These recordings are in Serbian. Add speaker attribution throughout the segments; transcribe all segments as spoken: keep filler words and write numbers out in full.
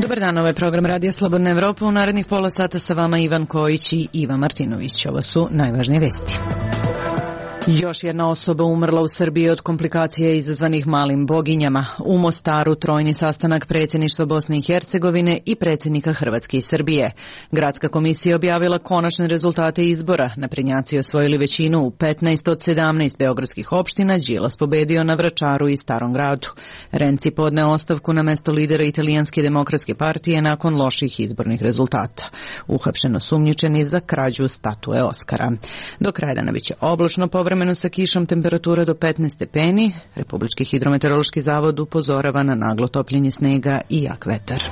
Speaker 1: Dobar dan, ovo je program Radija Slobodna Evropa. U narednih pola sata sa vama Ivan Kojić i Ivan Martinović. Ovo su najvažnije vesti. Još jedna osoba umrla u Srbiji od komplikacija izazvanih malim boginjama. U Mostaru trojni sastanak predsjedništva Bosne i Hercegovine i predsjednika Hrvatske i Srbije. Gradska komisija objavila konačne rezultate izbora. Naprednjaci osvojili većinu u petnaest od sedamnaest beogradskih opština, Đilas pobedio na Vračaru i Starom gradu. Renci podneo ostavku na mesto lidera Italijanske demokratske partije nakon loših izbornih rezultata. Uhapšen osumnjičeni za krađu statue Oskara. Do kraja dana biće oblačno, povremeno sa kišom, temperatura do petnaest stepeni. Republički hidrometeorološki zavod upozorava na naglo topljenje snega i jak vetar.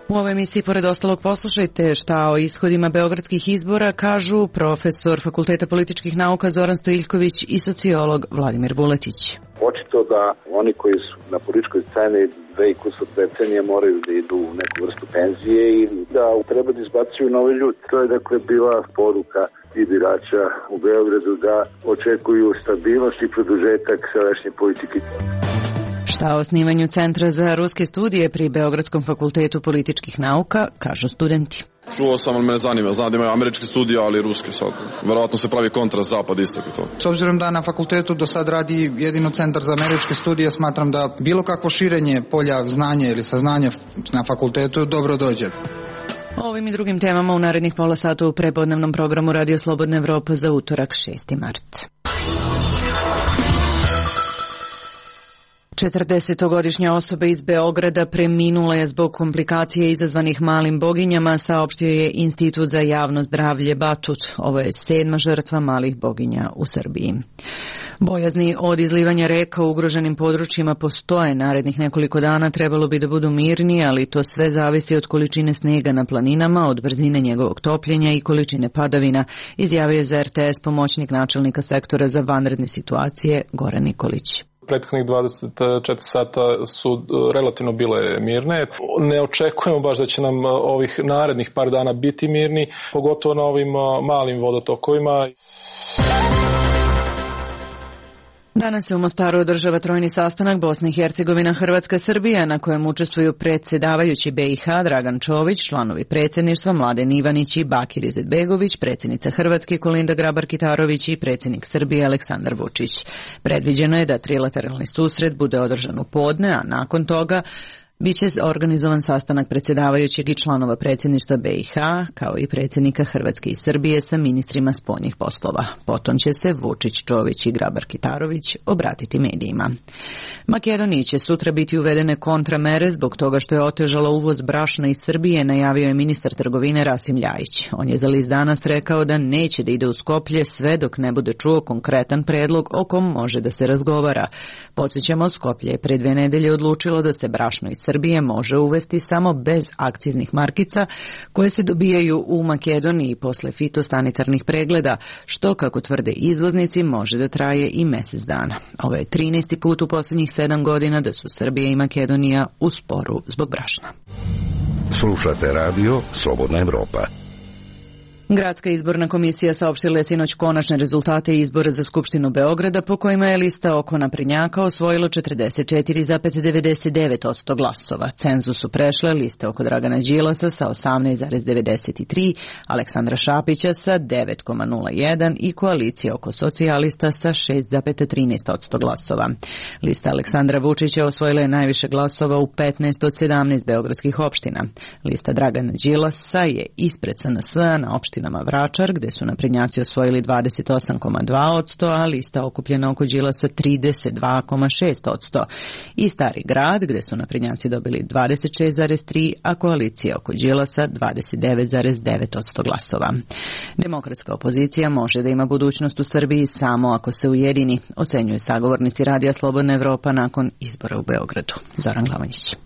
Speaker 1: U ovoj emisiji, pored ostalog, poslušajte šta o ishodima beogradskih izbora kažu profesor Fakulteta političkih nauka Zoran Stojiljković i sociolog Vladimir Vuletić.
Speaker 2: Očito da oni koji su na političkoj sceni dve i kusur decenije moraju da idu u neku vrstu penzije i da treba da izbacuju nove ljudi. To je dakle bila poruka i birača u Beogradu da očekuju stabilnost i produžetak sadašnje politike.
Speaker 1: Šta o osnivanju Centra za ruske studije pri Beogradskom fakultetu političkih nauka kažu studenti.
Speaker 3: Čuo sam, ali me ne zanima. Znam da imaju američke studije, ali i ruske sad. Verovatno se pravi kontrast zapad istok i to.
Speaker 4: S obzirom da na fakultetu do sad radi jedino Centar za američke studije, smatram da bilo kakvo širenje polja znanja ili saznanja na fakultetu dobro dođe.
Speaker 1: O ovim i drugim temama u narednih pola sata u prepodnevnom programu Radio Slobodna Evropa za utorak šesti mart. četrdesetogodišnja osoba iz Beograda preminula je zbog komplikacije izazvanih malim boginjama, saopštio je Institut za javno zdravlje Batut. Ovo je sedma žrtva malih boginja u Srbiji. Bojazni od izlivanja reka u ugroženim područjima postoje. Narednih nekoliko dana trebalo bi da budu mirni, ali to sve zavisi od količine snega na planinama, od brzine njegovog topljenja i količine padavina, izjavio je za R T S pomoćnik načelnika sektora za vanredne situacije Goran Nikolić.
Speaker 5: Prethodnih dvadeset četiri sata su relativno bile mirne. Ne očekujemo baš da će nam ovih narednih par dana biti mirni, pogotovo na ovim malim vodotokovima.
Speaker 1: Danas se u Mostaru održava trojni sastanak Bosna i Hercegovina, Hrvatska, Srbija, na kojem učestvuju predsjedavajući B i H Dragan Čović, članovi predsjedništva Mladen Ivanić i Bakir Izetbegović, predsjednica Hrvatske Kolinda Grabar-Kitarović i predsjednik Srbije Aleksandar Vučić. Predviđeno je da trilateralni susret bude održan u podne, a nakon toga biće organizovan sastanak predsjedavajućeg i članova predsjedništva B i H, kao i predsjednika Hrvatske i Srbije sa ministrima spoljnih poslova. Potom će se Vučić, Čović i Grabar-Kitarović obratiti medijima. Makedoniji će sutra biti uvedene kontramere zbog toga što je otežala uvoz brašna iz Srbije, najavio je ministar trgovine Rasim Ljajić. On je za list Danas rekao da neće da ide u Skoplje sve dok ne bude čuo konkretan predlog o kom može da se razgovara. Podsjećamo, Skoplje je pre dve nedelje odlučilo da se brašno iz Srbije može uvesti samo bez akciznih markica koje se dobijaju u Makedoniji posle fitosanitarnih pregleda, što, kako tvrde izvoznici, može da traje i mesec dana. Ovo je trinaesti put u posljednjih sedam godina da su Srbija i Makedonija u sporu zbog brašna.
Speaker 6: Slušate radio Slobodna Evropa.
Speaker 1: Gradska izborna komisija saopštila je sinoć konačne rezultate izbora za Skupštinu Beograda, po kojima je lista oko naprednjaka osvojila četrdeset četiri zarez devedeset devet posto glasova. Cenzus su prešle liste oko Dragana Đilasa sa osamnaest zarez devedeset tri, Aleksandra Šapića sa devet zarez nula jedan i koalicija oko socijalista sa šest zarez trinaest posto glasova. Lista Aleksandra Vučića osvojila je najviše glasova u petnaest od sedamnaest beogradskih opština. Lista Dragana Đilasa je ispred S N S na opštinama Vračar, gde su naprednjaci osvojili dvadeset osam zarez dva posto, a lista okupljena oko Đilasa trideset dva zarez šest posto. I Stari grad, gde su naprednjaci dobili dvadeset šest zarez tri, a koalicija oko Đilasa dvadeset devet zarez devet posto glasova. Demokratska opozicija može da ima budućnost u Srbiji samo ako se ujedini, ocenjuju sagovornici Radija Slobodna Evropa nakon izbora u Beogradu. Zoran Glavanjić.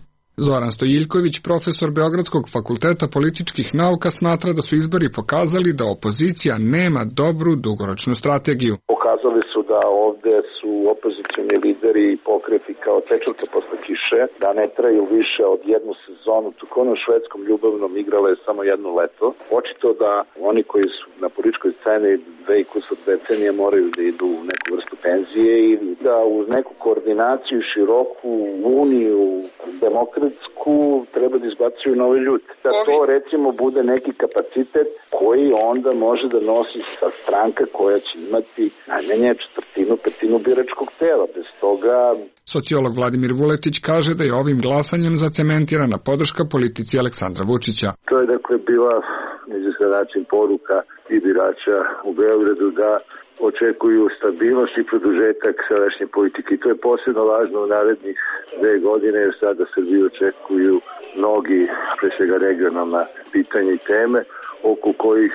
Speaker 7: Zoran Stojiljković, profesor Beogradskog fakulteta političkih nauka, smatra da su izbori pokazali da opozicija nema dobru dugoročnu strategiju.
Speaker 2: Pokazali su da ovde su opozicioni lideri i pokreti kao tečevka posle kiše, da ne traju više od jednu sezonu, tako ono švedskom ljubavnom igrala je samo jedno leto. Očito da oni koji su na političkoj sceni dve i kusur decenije moraju da idu u neku vrstu penzije i da uz neku koordinaciju, široku uniju demokratiju Hrvatsku treba da izbacuju nove ljude. Da to recimo bude neki kapacitet koji onda može da nosi sa stranka koja će imati najmanje četvrtinu, petinu biračkog tela. Bez toga...
Speaker 7: Sociolog Vladimir Vuletić kaže da je ovim glasanjem zacementirana podrška politici Aleksandra Vučića.
Speaker 2: To je dakle bila izvestan način poruka i birača u Beogradu da očekuju stabilnost i produžetak sadašnje politike. I to je posebno važno u narednih dve godine, jer sada Srbiju očekuju mnogi, pre svega regionalna pitanja i teme, oko kojih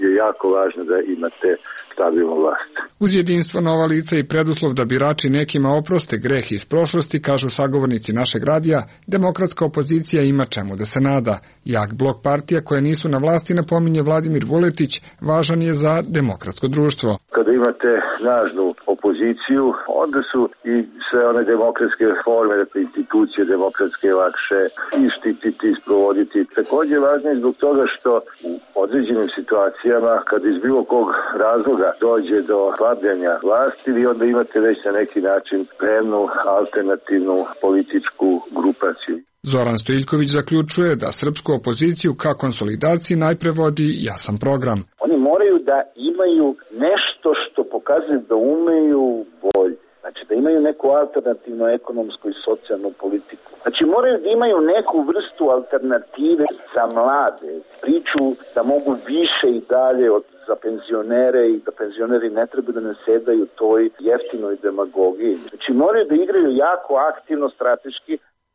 Speaker 2: je jako važno da imate stabilnu vlast.
Speaker 7: Uz jedinstvo, nova lica i preduslov da birači nekima oproste greh iz prošlosti, kažu sagovornici našeg radija, demokratska opozicija ima čemu da se nada. Jak blok partija koje nisu na vlasti, napominje Vladimir Vuletić, važan je za demokratsko društvo.
Speaker 2: Kada imate snažnu opoziciju, onda su i sve one demokratske forme, dakle institucije demokratske lakše i štititi, i sprovoditi. Takođe je važno i zbog toga što u određenim situacijama, kada iz bilo kog razloga dođe do slabljanja vlasti, vi onda imate već na neki način spremnu alternativnu političku grupaciju.
Speaker 7: Zoran Stojiljković zaključuje da srpsku opoziciju ka konsolidaciji najpre vodi jasan program.
Speaker 2: Oni moraju da imaju nešto što pokazuje da umeju bolje. Znači da imaju neku alternativnu ekonomsku i socijalnu politiku. Znači moraju da imaju neku vrstu alternative za mlade. Priču da mogu više i dalje od za penzionere i da penzioneri ne treba da nasedaju toj jeftinoj demagogiji. Znači moraju da igraju jako aktivno strateški.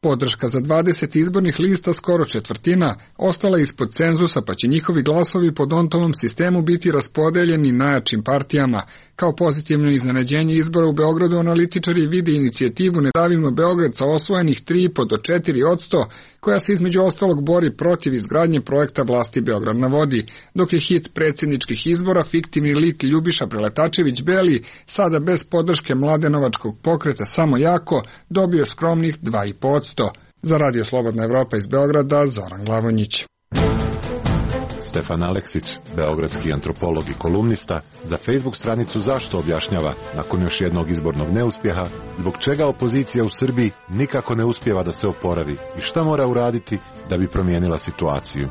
Speaker 7: Podrška za dvadeset izbornih lista, skoro četvrtina, ostala ispod cenzusa, pa će njihovi glasovi po Dontovom sistemu biti raspodeljeni najjačim partijama. Kao pozitivno iznenađenje izbora u Beogradu analitičari vide inicijativu Ne davimo Beograd sa osvojenih tri i po do četiri posto, koja se između ostalog bori protiv izgradnje projekta vlasti Beograd na vodi, dok je hit predsjedničkih izbora fiktivni lik Ljubiša Preletačević-Beli, sada bez podrške Mladenovačkog pokreta Samo jako, dobio skromnih dva i po posto. Za Radio Slobodna Evropa iz Beograda, Zoran Glavonjić.
Speaker 8: Stefan Aleksić, beogradski antropolog i kolumnista, za Facebook stranicu Zašto objašnjava, nakon još jednog izbornog neuspjeha, zbog čega opozicija u Srbiji nikako ne uspijeva da se oporavi i šta mora uraditi da bi promijenila situaciju.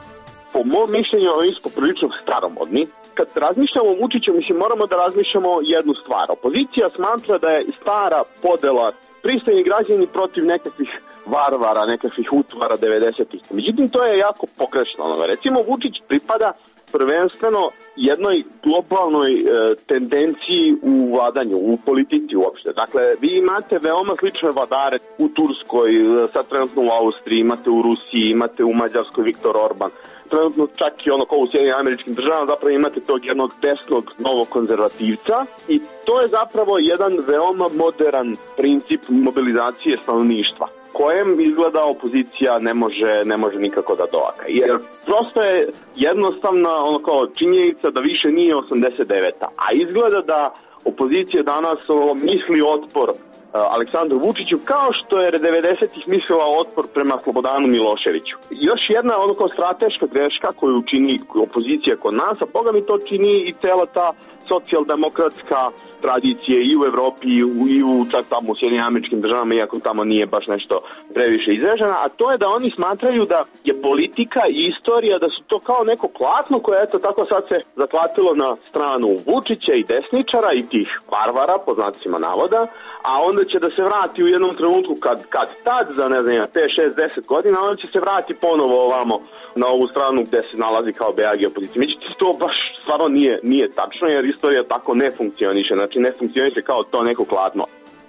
Speaker 9: Po mom mišljenju, oni su poprilično staromodni. Kad razmišljamo o Vučiću, mislim, moramo da razmišljamo jednu stvar. Opozicija smatra da je stara podela pristojni građani protiv nekakvih varvara, nekakvih utvara devedesetih. Međutim, to je jako pogrešno. Recimo, Vučić pripada prvenstveno jednoj globalnoj e, tendenciji u vladanju, u politici uopšte. Dakle, vi imate veoma slične vladare u Turskoj, sad trenutno u Austriji, imate u Rusiji, imate u Mađarskoj Viktor Orban. Trenutno čak i ono kao u Sjedinjenim Američkim Državama zapravo imate tog jednog desnog novog konzervativca i to je zapravo jedan veoma modern princip mobilizacije stanovništva kojem izgleda opozicija ne može ne može nikako da doaka. Jer prosto je jednostavna ono kao činjenica da više nije osamdeset deveta, a izgleda da opozicija danas ono, misli otpor Aleksandru Vučiću kao što je devedesetih mislila otpor prema Slobodanu Miloševiću. Još jedna ono kao strateška greška koju čini opozicija kod nas, a boga mi to čini i cela ta socijaldemokratska tradicije i u Evropi i u, i u čak tamo u Sjedinjenim Američkim Državama, iako tamo nije baš nešto previše izražena, a to je da oni smatraju da je politika i istorija, da su to kao neko klatno koje eto tako sad se zaklatilo na stranu Vučića i desničara i tih varvara, po znacima navoda, a onda će da se vrati u jednom trenutku kad, kad tad za ne znam pet, šest, deset godina, onda će se vrati ponovo ovamo na ovu stranu gde se nalazi kao be a ge opozicija. Međutim, to baš stvarno nije, nije tačno, jer istorija tako ne funkcioniše, znači ne funkcioniše kao to neko kladno.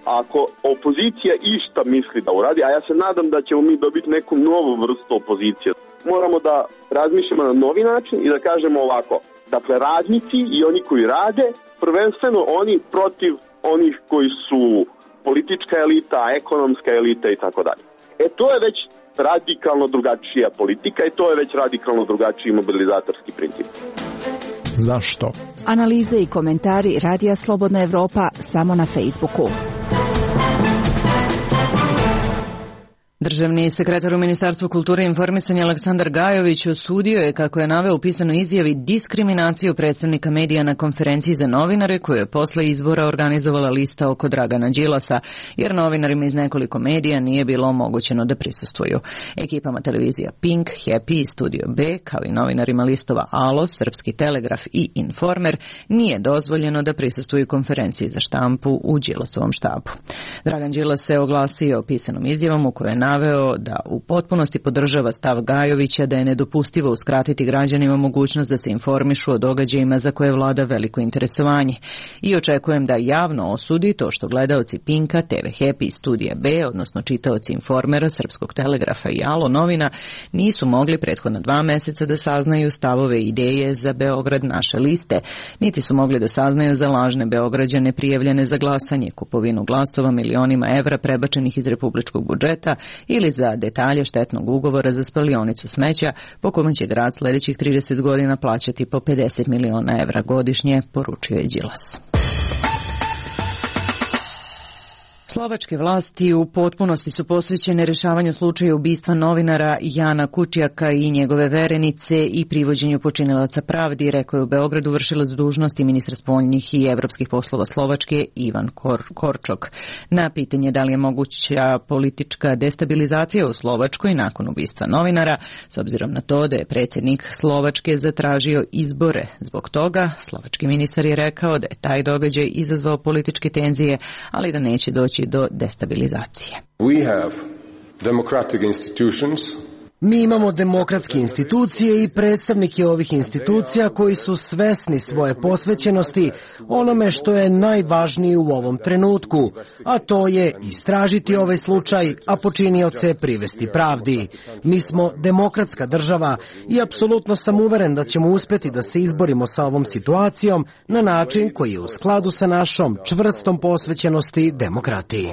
Speaker 9: Ako opozicija išta misli da uradi, a ja se nadam da ćemo mi dobiti neku novu vrstu opozicije, moramo da razmišljamo na novi način i da kažemo ovako, dakle radnici i oni koji rade, prvenstveno oni protiv onih koji su politička elita, ekonomska elita i tako dalje. E to je već radikalno drugačija politika i to je već radikalno drugačiji mobilizatorski princip.
Speaker 10: Zašto?
Speaker 11: Analize i komentari Radija Slobodna Evropa samo na Facebooku.
Speaker 1: Državni sekretar u Ministarstvu kulture i informisanja Aleksandar Gajović osudio je, kako je naveo u pisanoj izjavi, diskriminaciju predstavnika medija na konferenciji za novinare koju je posle izbora organizovala lista oko Dragana Đilasa, jer novinarima iz nekoliko medija nije bilo omogućeno da prisustvuju. Ekipama televizija Pink, Happy i Studio B, kao i novinarima listova Alo, Srpski Telegraf i Informer, nije dozvoljeno da prisustvuju konferenciji za štampu u Đilasovom štabu. Dragan Đilas se oglasio pisanom izjavom u kojoj je naveo da u potpunosti podržava stav Gajovića da je nedopustivo uskratiti građanima mogućnost da se informišu o događajima za koje vlada veliko interesovanje. I očekujem da javno osudi to što gledaoci Pinka, T V Happy i Studija B, odnosno čitaoci Informera, Srpskog Telegrafa i Alo novina, nisu mogli prethodna dva meseca da saznaju stavove i ideje za Beograd naše liste, niti su mogli da saznaju za lažne Beograđane prijavljene za glasanje, kupovinu glasova milionima evra prebačenih iz republičkog budžeta ili za detalje štetnog ugovora za spalionicu smeća po kome će grad sledećih trideset godina plaćati po pedeset miliona evra godišnje, poručio je Đilas. Slovačke vlasti u potpunosti su posvećene rešavanju slučaja ubistva novinara Jana Kučijaka i njegove verenice i privođenju počinilaca pravdi, rekao je u Beogradu vršilac dužnosti ministar spoljnih i evropskih poslova Slovačke Ivan Kor- Korčok. Na pitanje da li je moguća politička destabilizacija u Slovačkoj nakon ubistva novinara, s obzirom na to da je predsjednik Slovačke zatražio izbore zbog toga, slovački ministar je rekao da je taj događaj izazvao političke tenzije, ali da neće doći do destabilizacije.
Speaker 12: We have democratic institutions.
Speaker 13: Mi imamo demokratske institucije i predstavnike ovih institucija koji su svesni svoje posvećenosti onome što je najvažnije u ovom trenutku, a to je istražiti ovaj slučaj, a počinioce privesti pravdi. Mi smo demokratska država i apsolutno sam uveren da ćemo uspeti da se izborimo sa ovom situacijom na način koji je u skladu sa našom čvrstom posvećenosti demokratiji.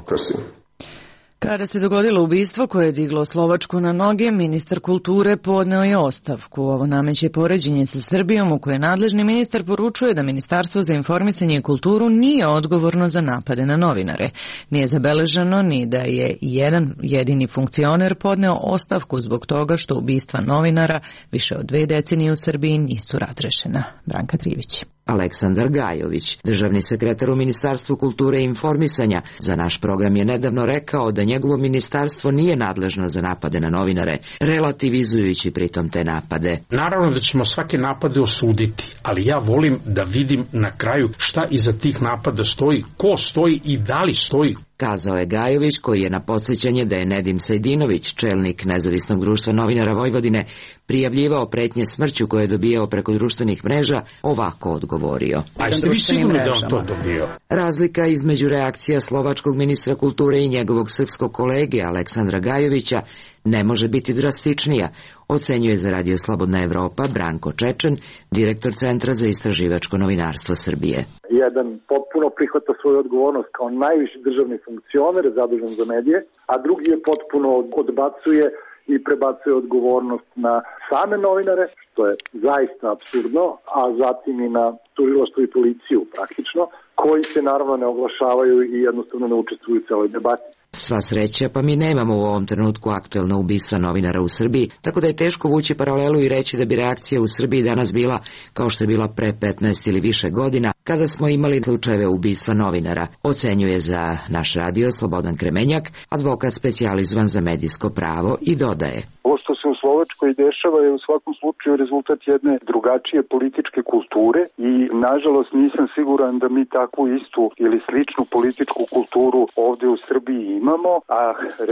Speaker 1: Kada se dogodilo ubistvo koje je diglo Slovačku na noge, ministar kulture podneo je ostavku. Ovo nameće poređenje sa Srbijom u kojoj nadležni ministar poručuje da Ministarstvo za informisanje i kulturu nije odgovorno za napade na novinare. Nije zabeleženo ni da je jedan jedini funkcioner podneo ostavku zbog toga što ubistva novinara više od dve decenije u Srbiji nisu razrešena. Branka Trivić.
Speaker 14: Aleksandar Gajović, državni sekretar u Ministarstvu kulture i informisanja, za naš program je nedavno rekao da njegovo ministarstvo nije nadležno za napade na novinare, relativizujući pritom te napade.
Speaker 15: Naravno da ćemo svake napade osuditi, ali ja volim da vidim na kraju šta iza tih napada stoji, ko stoji i da li stoji.
Speaker 14: Kazao je Gajović, koji je na podsjećanje da je Nedim Sajdinović, čelnik Nezavisnog društva novinara Vojvodine, prijavljivao pretnje smrću koje je dobijao preko društvenih mreža, ovako odgovorio.
Speaker 15: A jeste vi sigurni da on to dobio?
Speaker 14: Razlika između reakcija slovačkog ministra kulture i njegovog srpskog kolege Aleksandra Gajovića ne može biti drastičnija, ocenjuje za Radio Slobodna Evropa Branko Čečen, direktor Centra za istraživačko novinarstvo Srbije.
Speaker 2: Jedan potpuno prihvata svoju odgovornost kao najviši državni funkcioner zadužen za medije, a drugi je potpuno odbacuje i prebacuje odgovornost na same novinare, što je zaista apsurdno, a zatim i na tužilaštvo i policiju praktično, koji se naravno ne oglašavaju i jednostavno ne učestvuju u celoj debati.
Speaker 14: Sva sreća, pa mi nemamo u ovom trenutku aktuelno ubistva novinara u Srbiji, tako da je teško vući paralelu i reći da bi reakcija u Srbiji danas bila kao što je bila pre petnaest ili više godina, kada smo imali slučajeve ubistva novinara, ocenjuje za naš radio Slobodan Kremenjak, advokat specijalizovan za medijsko pravo, i dodaje.
Speaker 16: Ovo što se u Slovačkoj dešava je u svakom slučaju rezultat jedne drugačije političke kulture i nažalost nisam siguran da mi takvu istu ili sličnu političku kulturu ovde u Srbiji imamo, a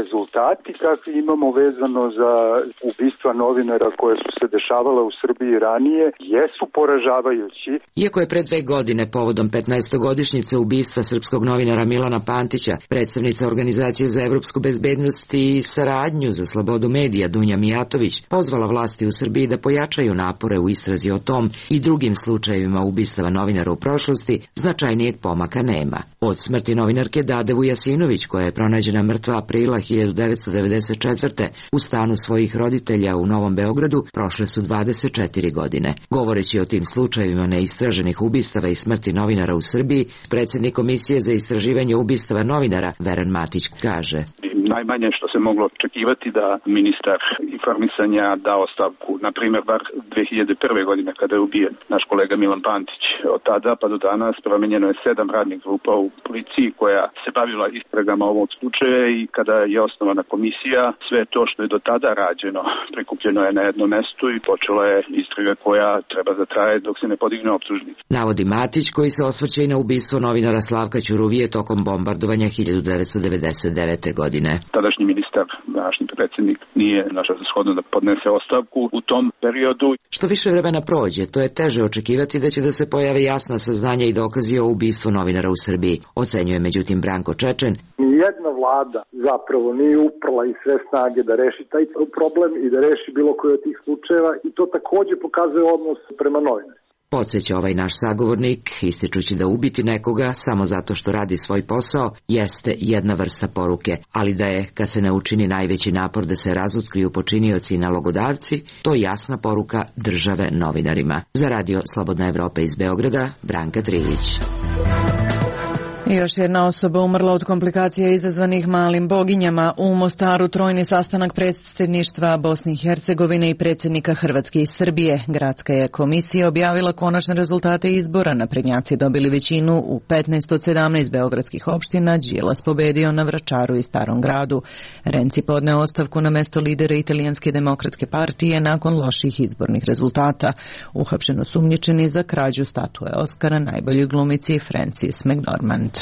Speaker 16: rezultati kakvi imamo vezano za ubistva novinara koje su se dešavala u Srbiji ranije jesu poražavajući.
Speaker 14: Iako je pre dve godine povodom petnaestogodišnjice ubistva srpskog novinara Milana Pantića, predstavnica Organizacije za evropsku bezbednost i saradnju za slobodu medija Dunja Mijatović pozvala vlasti u Srbiji da pojačaju napore u istrazi o tom i drugim slučajevima ubistava novinara u prošlosti, značajnijeg pomaka nema. Od smrti novinarke Dade Vujasinović, koja je pronađena mrtva aprila hiljadu devetsto devedeset četvrte u stanu svojih roditelja u Novom Beogradu, prošle su dvadeset četiri godine. Govoreći o tim slučajevima neistraženih ubistava i smrti novinara u Srbiji, predsjednik Komisije za istraživanje ubistava novinara Veran Matić kaže:
Speaker 17: najmanje što se moglo očekivati da ministar informisanja da ostavku, na primjer, bar dve hiljade prve. godine kada je ubijen naš kolega Milan Pantić. Od tada pa do danas promenjeno je sedam radnih grupa u policiji koja se bavila istragama ovog slučaja i kada je osnovana komisija, sve to što je do tada rađeno prikupljeno je na jednom mestu i počela je istraga koja treba da traje dok se ne podigne optužnica.
Speaker 14: Navodi Matić, koji se osvrće i na ubistvo novinara Slavka Ćuruvije tokom bombardovanja hiljadu devetsto devedeset devete. godine.
Speaker 17: Tadašnji ministar, današnji predsjednik, nije našao za shodno da podnese ostavku u tom periodu.
Speaker 14: Što više vremena prođe, to je teže očekivati da će da se pojave jasna saznanja i dokazi o ubistvu novinara u Srbiji, ocenjuje međutim Branko Čečen.
Speaker 18: Nijedna vlada zapravo nije uprla i sve snage da reši taj problem i da reši bilo koji od tih slučajeva i to takođe pokazuje odnos prema novinarima.
Speaker 14: Podsjeća ovaj naš sagovornik, ističući da ubiti nekoga samo zato što radi svoj posao jeste jedna vrsta poruke, ali da je, kad se ne učini najveći napor da se razotkriju počinioci i nalogodavci, to jasna poruka države novinarima. Za Radio Slobodna Evropa iz Beograda, Branka Trilić.
Speaker 1: Još jedna osoba umrla od komplikacija izazvanih malim boginjama. U Mostaru trojni sastanak predsjedništva Bosne i Hercegovine i predsjednika Hrvatske i Srbije. Gradska je komisija objavila konačne rezultate izbora. Naprednjaci dobili većinu u petnaest od sedamnaest beogradskih opština. Đilas pobedio na Vračaru i Starom gradu. Renci podneo ostavku na mesto lidera Italijanske demokratske partije nakon loših izbornih rezultata. Uhapšeno sumnjičeni za krađu statue Oskara najboljoj glumici Frances McDormand.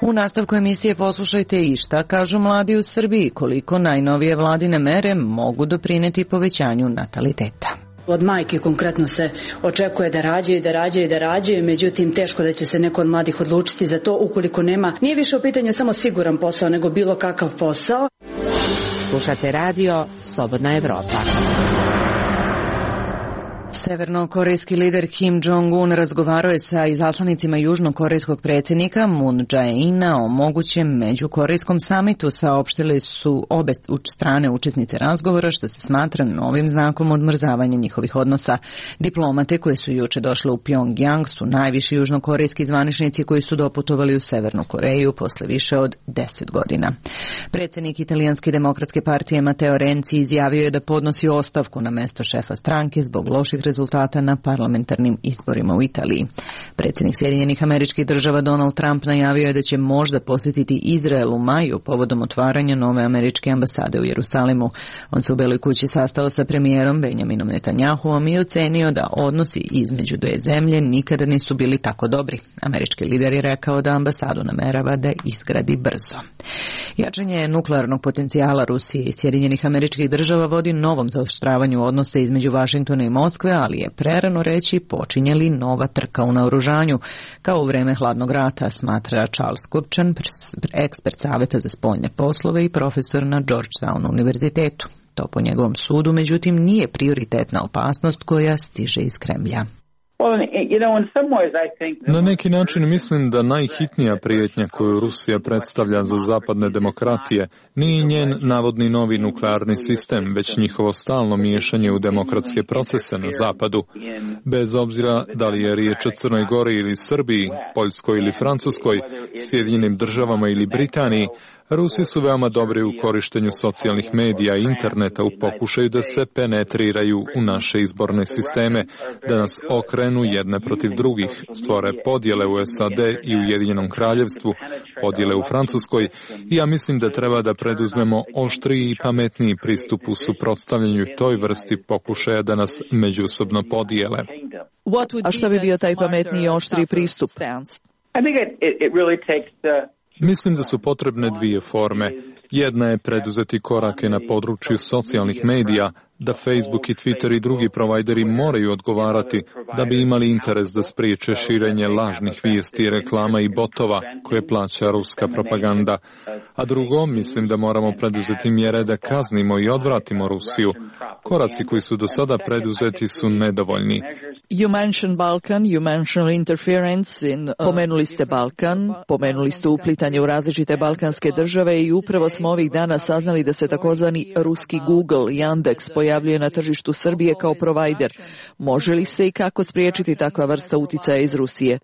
Speaker 1: U nastavku emisije poslušajte i šta kažu mladi u Srbiji, koliko najnovije vladine mere mogu doprineti povećanju nataliteta.
Speaker 19: Od majke konkretno se očekuje da rađaju, da rađaju, da rađaju, međutim teško da će se neko od mladih odlučiti za to ukoliko nema, nije više u pitanju samo siguran posao, nego bilo kakav posao.
Speaker 11: Slušate radio Slobodna Evropa.
Speaker 1: Severnokorejski lider Kim Jong-un razgovarao je sa izaslanicima južnokorejskog predsjednika Moon Jae-ina o mogućem međukorejskom samitu. Saopštili su obe strane učesnice razgovora, što se smatra novim znakom odmrzavanja njihovih odnosa. Diplomate koje su juče došle u Pyongyang su najviši južnokorejski zvaničnici koji su doputovali u Severnu Koreju posle više od deset godina. Predsjednik Italijanske demokratske partije Matteo Renzi izjavio je da podnosi ostavku na mesto šefa stranke zbog loših rezultata na parlamentarnim izborima u Italiji. Predsjednik Sjedinjenih Američkih Država Donald Trump najavio je da će možda posjetiti Izrael u maju povodom otvaranja nove američke ambasade u Jerusalimu. On se u Beloj kući sastao sa premijerom Benjaminom Netanjahuom i ocenio da odnosi između dve zemlje nikada nisu bili tako dobri. Američki lider je rekao da ambasadu namerava da izgradi brzo. Jačanje nuklearnog potencijala Rusije i Sjedinjenih Američkih Država vodi novom zaoštravanju odnosa između Vašingtona i Moskve, ali je prerano reći počinje li nova trka u naoružanju, kao u vreme hladnog rata, smatra Charles Kupčan, ekspert Saveta za spoljne poslove i profesor na Georgetown univerzitetu. To po njegovom sudu, međutim, nije prioritetna opasnost koja stiže iz Kremlja.
Speaker 5: Na neki način mislim da najhitnija prijetnja koju Rusija predstavlja za zapadne demokratije nije njen navodni novi nuklearni sistem, već njihovo stalno miješanje u demokratske procese na zapadu. Bez obzira da li je riječ o Crnoj Gori ili Srbiji, Poljskoj ili Francuskoj, Sjedinjenim Državama ili Britaniji, Rusi su veoma dobri u korištenju socijalnih medija i interneta u pokušaju da se penetriraju u naše izborne sisteme, da nas okrenu jedne protiv drugih, stvore podjele u S A D i Ujedinjenom kraljevstvu, podjele u Francuskoj i ja mislim da treba da preduzmemo oštriji i pametniji pristup u suprotstavljanju toj vrsti pokušaja da nas međusobno podijele.
Speaker 11: A šta bi bio taj pametniji i oštri pristup?
Speaker 5: Mislim da su potrebne dvije forme. Jedna je preduzeti korake na području socijalnih medija, da Facebook i Twitter i drugi provajderi moraju odgovarati da bi imali interes da spriječe širenje lažnih vijesti, reklama i botova koje plaća ruska propaganda. A drugo, mislim da moramo preduzeti mjere da kaznimo i odvratimo Rusiju. Koraci koji su do sada preduzeti su nedovoljni.
Speaker 11: You mentioned Balkan, you mentioned interference in... Uh, pomenuli ste Balkan, pomenuli ste uplitanje u različite balkanske države i upravo smo ovih dana saznali da se takozvani ruski Google, Yandex, pojavljuje na tržištu Srbije kao provajder. Može li se i kako spriječiti takva vrsta uticaja iz Rusije?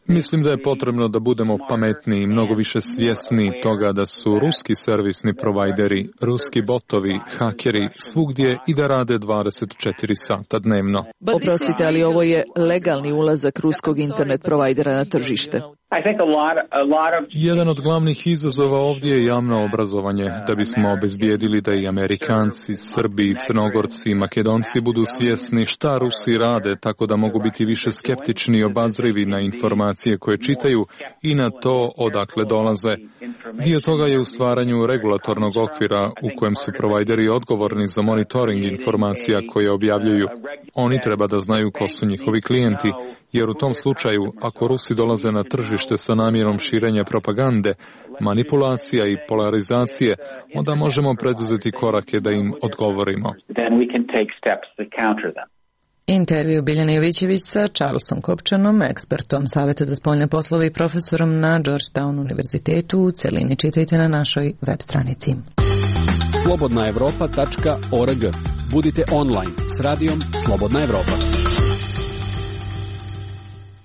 Speaker 5: Mislim da je potrebno da budemo pametniji i mnogo više svjesni toga da su ruski servisni provajderi, ruski botovi, hakeri svugdje i da rade dvadeset četiri sata dnevno.
Speaker 11: Oprostite, ali ovo je legalni ulazak ruskog internet provajdera na tržište.
Speaker 5: Jedan od glavnih izazova ovdje je javno obrazovanje, da bismo obezbijedili da i Amerikanci, Srbi, Crnogorci i Makedonci budu svjesni šta Rusi rade, tako da mogu biti više skeptični i obazrivi na informacije koje čitaju i na to odakle dolaze. Dio toga je u stvaranju regulatornog okvira u kojem su provajderi odgovorni za monitoring informacija koje objavljuju. Oni treba da znaju ko su njihovi klijenti, jer u tom slučaju, ako Rusi dolaze na tržište sa namjerom širenja propagande, manipulacija i polarizacije, onda možemo preduzeti korake da im odgovorimo.
Speaker 1: Intervju Biljane Jovićević sa Charlesom Kopčanom, ekspertom Saveta za spoljne poslove i profesorom na Georgetown univerzitetu. U celini čitajte na našoj web stranici.
Speaker 20: slobodna evropa tačka org. Budite online s radijom Slobodna Evropa.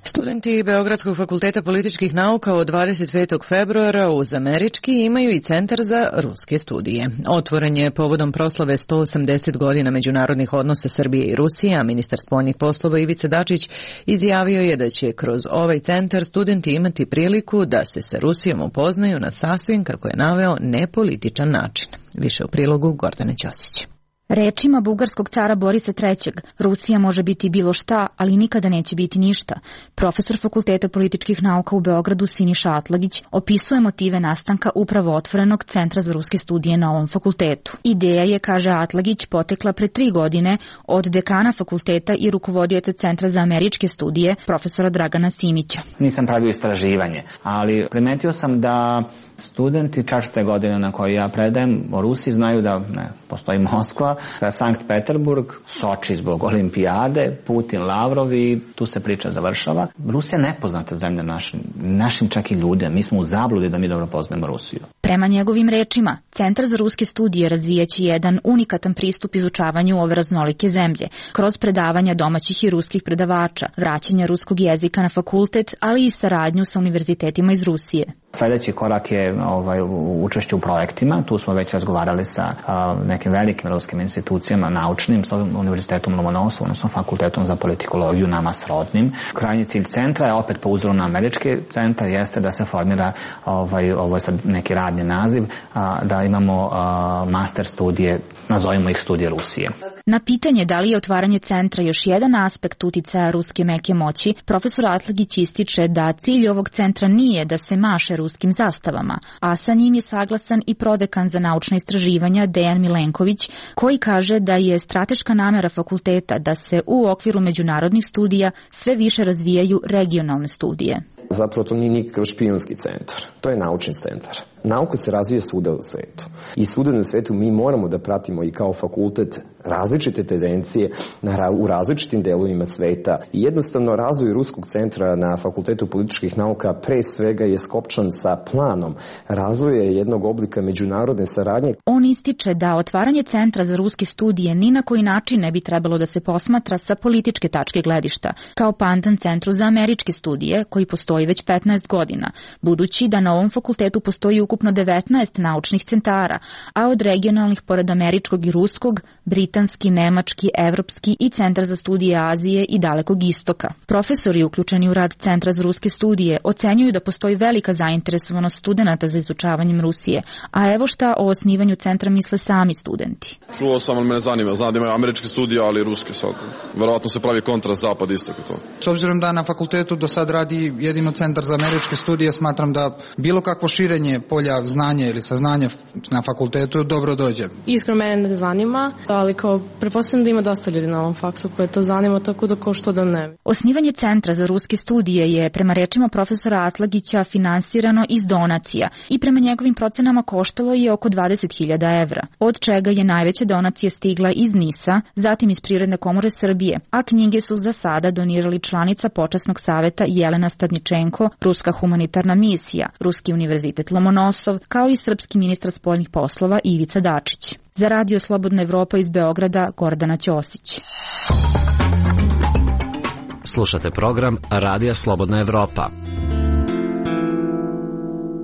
Speaker 1: Studenti Beogradskog fakulteta političkih nauka od dvadeset petog februara uz američki imaju i Centar za ruske studije. Otvoren je povodom proslave sto osamdeset godina međunarodnih odnosa Srbije i Rusije, a ministar spoljnih poslova Ivica Dačić izjavio je da će kroz ovaj centar studenti imati priliku da se sa Rusijom upoznaju na sasvim, kako je naveo, nepolitičan način. Više u prilogu Gordane Ćosić.
Speaker 21: Rečima bugarskog cara Borisa trećeg, Rusija može biti bilo šta, ali nikada neće biti ništa. Profesor Fakulteta političkih nauka u Beogradu Siniša Atlagić opisuje motive nastanka upravo otvorenog Centra za ruske studije na ovom fakultetu. Ideja je, kaže Atlagić, potekla pre tri godine od dekana fakulteta i rukovodioca Centra za američke studije, profesora Dragana Simića.
Speaker 22: Nisam pravio istraživanje, ali primetio sam da studenti četvrte godine na kojoj ja predajem o Rusiji znaju da ne, postoji Moskva, Sankt Peterburg, Soči zbog olimpijade, Putin, Lavrov i tu se priča završava. Rusija je nepoznata zemlja našim, našim čak i ljudima. Mi smo u zabludi da mi dobro poznajemo Rusiju.
Speaker 21: Prema njegovim rečima, Centar za ruske studije razvijaće jedan unikatan pristup izučavanju ove raznolike zemlje, kroz predavanja domaćih i ruskih predavača, vraćanja ruskog jezika na fakultet, ali i saradnju sa univerzitetima iz Rusije.
Speaker 22: Sljedeći korak je ovaj, učešće u projektima. Tu smo već razgovarali sa a, nekim velikim ruskim institucijama, naučnim, sa Univerzitetom Lomonosov, odnosno Fakultetom za politikologiju, nama srodnim. Krajnji cilj centra je, opet po uzoru na američki centar, jeste da se formira, ovaj, ovo je sad neki radni naziv, a, da imamo a, master studije, nazovimo ih studije Rusije.
Speaker 21: Na pitanje da li je otvaranje centra još jedan aspekt uticaja ruske meke moći, profesor Atlagić ističe da cilj ovog centra nije da se maše ruskim zastavama, a sa njim je saglasan i prodekan za naučna istraživanja Dejan Milenković, koji kaže da je strateška namera fakulteta da se u okviru međunarodnih studija sve više razvijaju regionalne studije.
Speaker 23: Zapravo to nije nikakav špijunski centar, to je naučni centar. Nauka se razvija svuda u svetu. I svuda na svetu mi moramo da pratimo i kao fakultet različite tendencije u različitim delovima sveta. I jednostavno razvoj Ruskog centra na Fakultetu političkih nauka pre svega je skopčan sa planom razvoja jednog oblika međunarodne saradnje.
Speaker 21: On ističe da otvaranje Centra za ruske studije ni na koji način ne bi trebalo da se posmatra sa političke tačke gledišta, kao pandan Centru za američke studije, koji postoji već petnaest godina, budući da na ovom fakultetu postoji ukupno devetnaest naučnih centara, a od regionalnih pored američkog i ruskog, britanski, nemački, evropski i Centar za studije Azije i Dalekog istoka. Profesori uključeni u rad Centra za ruske studije ocenjuju da postoji velika zainteresovanost studenata za izučavanjem Rusije, a evo šta o osnivanju centra misle sami studenti.
Speaker 3: Čuo sam, ali mene zanima. Znam da imaju američke studije, ali i ruske sad. Verovatno se pravi kontrast zapad istok i to.
Speaker 4: S obzirom da na fakultetu do sad radi jedino Centar za američke studije, smatram da bilo kakvo širenje polja polja znanja ili saznanja na fakultetu, dobro dođe.
Speaker 6: Iskreno mene ne zanima, ali kao pretpostavljam da ima dosta ljudi na ovom faksu koje to zanima, tako da kao što da ne.
Speaker 21: Osnivanje Centra za ruske studije je, prema rečima profesora Atlagića, finansirano iz donacija i prema njegovim procenama koštalo je oko dvadeset hiljada evra, od čega je najveća donacija stigla iz NIS-a, zatim iz Privredne komore Srbije, a knjige su za sada donirali članica Počasnog saveta Jelena Stadničenko, Ruska humanitarna misija, Ruski univerzitet Lomonosov, kao i srpski ministar spoljnih poslova Ivica Dačić. Za Radio Slobodna Evropa iz Beograda, Gordana Ćosić.
Speaker 7: Slušate program Radija Slobodna Evropa.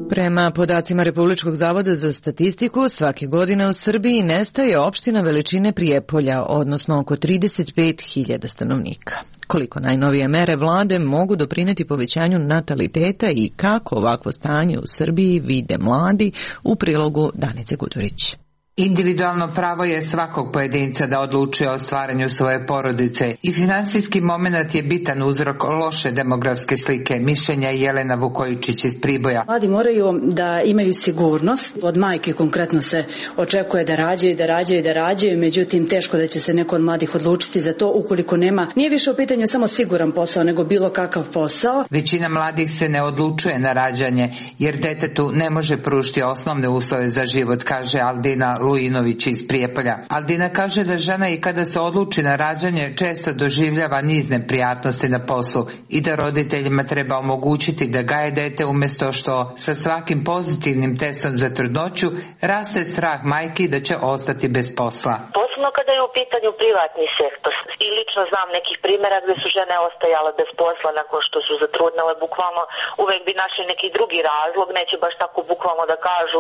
Speaker 1: Prema podacima Republičkog zavoda za statistiku, svake godine u Srbiji nestaje opština veličine Prijepolja, odnosno oko trideset pet hiljada stanovnika. Koliko najnovije mere vlade mogu doprineti povećanju nataliteta i kako ovakvo stanje u Srbiji vide mladi, u prilogu Danice Gudurić.
Speaker 8: Individualno pravo je svakog pojedinca da odlučuje o stvaranju svoje porodice i finansijski moment je bitan uzrok loše demografske slike, mišljenja Jelena Vukojičić iz Priboja.
Speaker 19: Mladi moraju da imaju sigurnost. Od majke konkretno se očekuje da rađaju, da rađaju, da rađaju, međutim teško da će se neko od mladih odlučiti za to ukoliko nema. Nije više u pitanju samo siguran posao, nego bilo kakav posao.
Speaker 8: Većina mladih se ne odlučuje na rađanje, jer detetu ne može pružiti osnovne uslove za život, kaže Aldina Lujinović iz Prijepolja. Aldina kaže da žena i kada se odluči na rađanje često doživljava niz neprijatnosti na poslu i da roditeljima treba omogućiti da gaje dete umjesto što sa svakim pozitivnim testom za trudnoću raste strah majki da će ostati bez posla.
Speaker 24: Posebno kada je u pitanju privatni sektor. I lično znam nekih primjera gdje su žene ostajale bez posla nakon što su zatrudnele, bukvalno uvek bi našli neki drugi razlog, neće baš tako bukvalno da kažu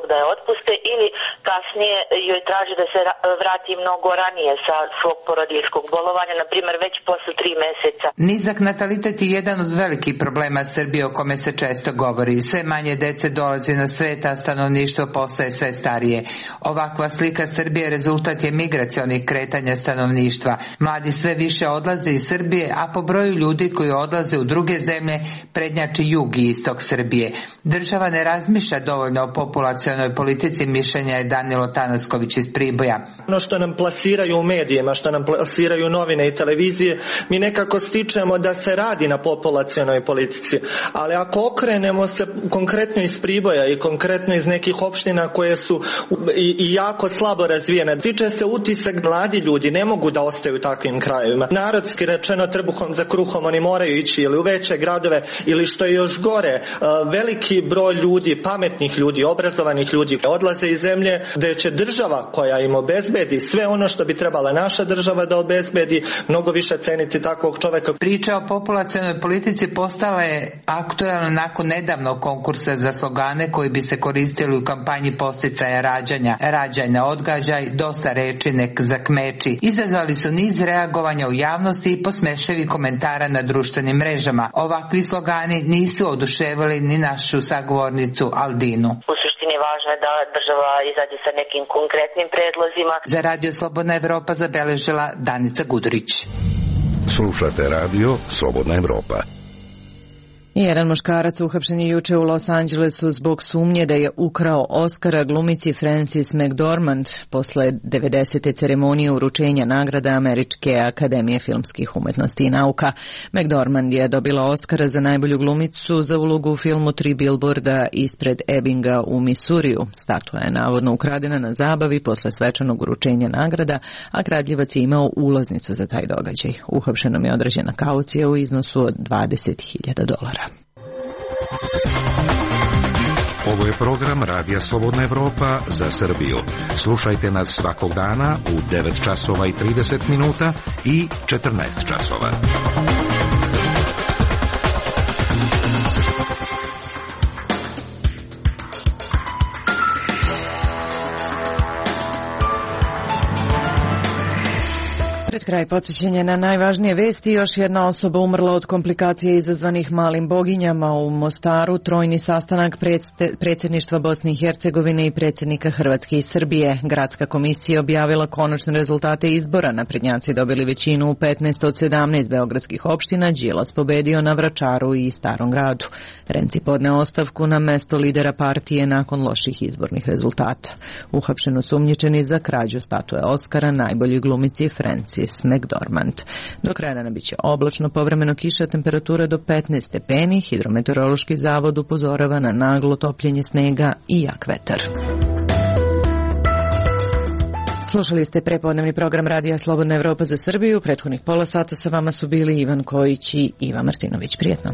Speaker 24: da je otpuste ili kasnije joj traži da se vrati mnogo ranije sa svog porodiljskog bolovanja, na primjer već posle tri meseca.
Speaker 8: Nizak natalitet je jedan od velikih problema Srbije o kome se često govori. Sve manje dece dolazi na svet, a stanovništvo postaje sve starije. Ovakva slika Srbije rezultat je migracionih kretanja stanovništva. Mladi sve više odlaze iz Srbije, a po broju ljudi koji odlaze u druge zemlje prednjači jug i istok Srbije. Država ne razmišlja dovoljno o populacionoj politici, mišljenja je Danilo Tanasković iz Priboja.
Speaker 25: Ono što nam plasiraju u medijima, što nam plasiraju novine i televizije, mi nekako stičemo da se radi na populacionoj politici. Ali ako okrenemo se konkretno iz Priboja i konkretno iz nekih opština koje su i, i jako slabo razvijene, stiče se utisak mladi ljudi ne mogu da ostaju u takvim krajevima. Narodski rečeno, trbuhom za kruhom oni moraju ići ili u veće gradove ili što je još gore, veliki broj ljudi, pametnih ljudi, obrazovanih ljudi odlaze iz zemlje gde će država koja im obezbedi sve ono što bi trebala naša država da obezbedi, mnogo više ceniti takvog čoveka.
Speaker 8: Priča o populacionoj politici postala je aktuelna nakon nedavnog konkursa za slogane koji bi se koristili u kampanji podsticaja rađanja. Rađanja, odgađaj, dosta reči, nek zakmeči. Izazvali su niz reagovanja u javnosti i posmeševi komentara na društvenim mrežama. Ovakvi slogani nisu oduševili ni našu sagovornicu Aldinu.
Speaker 24: U suštini važno je da država izađe sa nekim konkretnim predlozima.
Speaker 8: Za Radio Slobodna Evropa zabeležila Danica Gudurić.
Speaker 26: Slušate Radio Slobodna Evropa.
Speaker 1: Jedan muškarac uhapšen je juče u Los Angelesu zbog sumnje da je ukrao Oscara glumici Frances McDormand posle devedesete ceremonije uručenja nagrada Američke akademije filmskih umetnosti i nauka. McDormand je dobila Oscara za najbolju glumicu za ulogu u filmu Tri Billboarda ispred Ebbinga u Misuriju. Statua je navodno ukradena na zabavi posle svečanog uručenja nagrada, a kradljivac je imao ulaznicu za taj događaj. Uhapšenom je određena kaucija u iznosu od dvadeset hiljada dolara.
Speaker 26: Ovo je program Radija Slobodna Evropa za Srbiju. Slušajte nas svakog dana u devet časova i trideset minuta i četrnaest časova.
Speaker 1: Pred kraj podsjećanja na najvažnije vesti, još jedna osoba umrla od komplikacije izazvanih malim boginjama u Mostaru, trojni sastanak predsjedništva Bosne i Hercegovine i predsjednika Hrvatske i Srbije. Gradska komisija objavila konačne rezultate izbora, naprednjaci dobili većinu u petnaest od sedamnaest beogradskih opština, Đilas pobedio na Vračaru i Starom gradu. Renci podneo ostavku na mesto lidera partije nakon loših izbornih rezultata. Uhapšen osumnjičeni za krađu statue Oskara najboljoj glumici Frances McDormand. Do kraja dana biće oblačno, povremeno kiša, temperatura do petnaest stepeni. Hidrometeorološki zavod upozorava na naglo topljenje snega i jak vetar. Slušali ste prepodnevni program Radija Slobodna Evropa za Srbiju. Prethodnih pola sata sa vama su bili Ivan Kojić i Iva Martinović. Prijetno.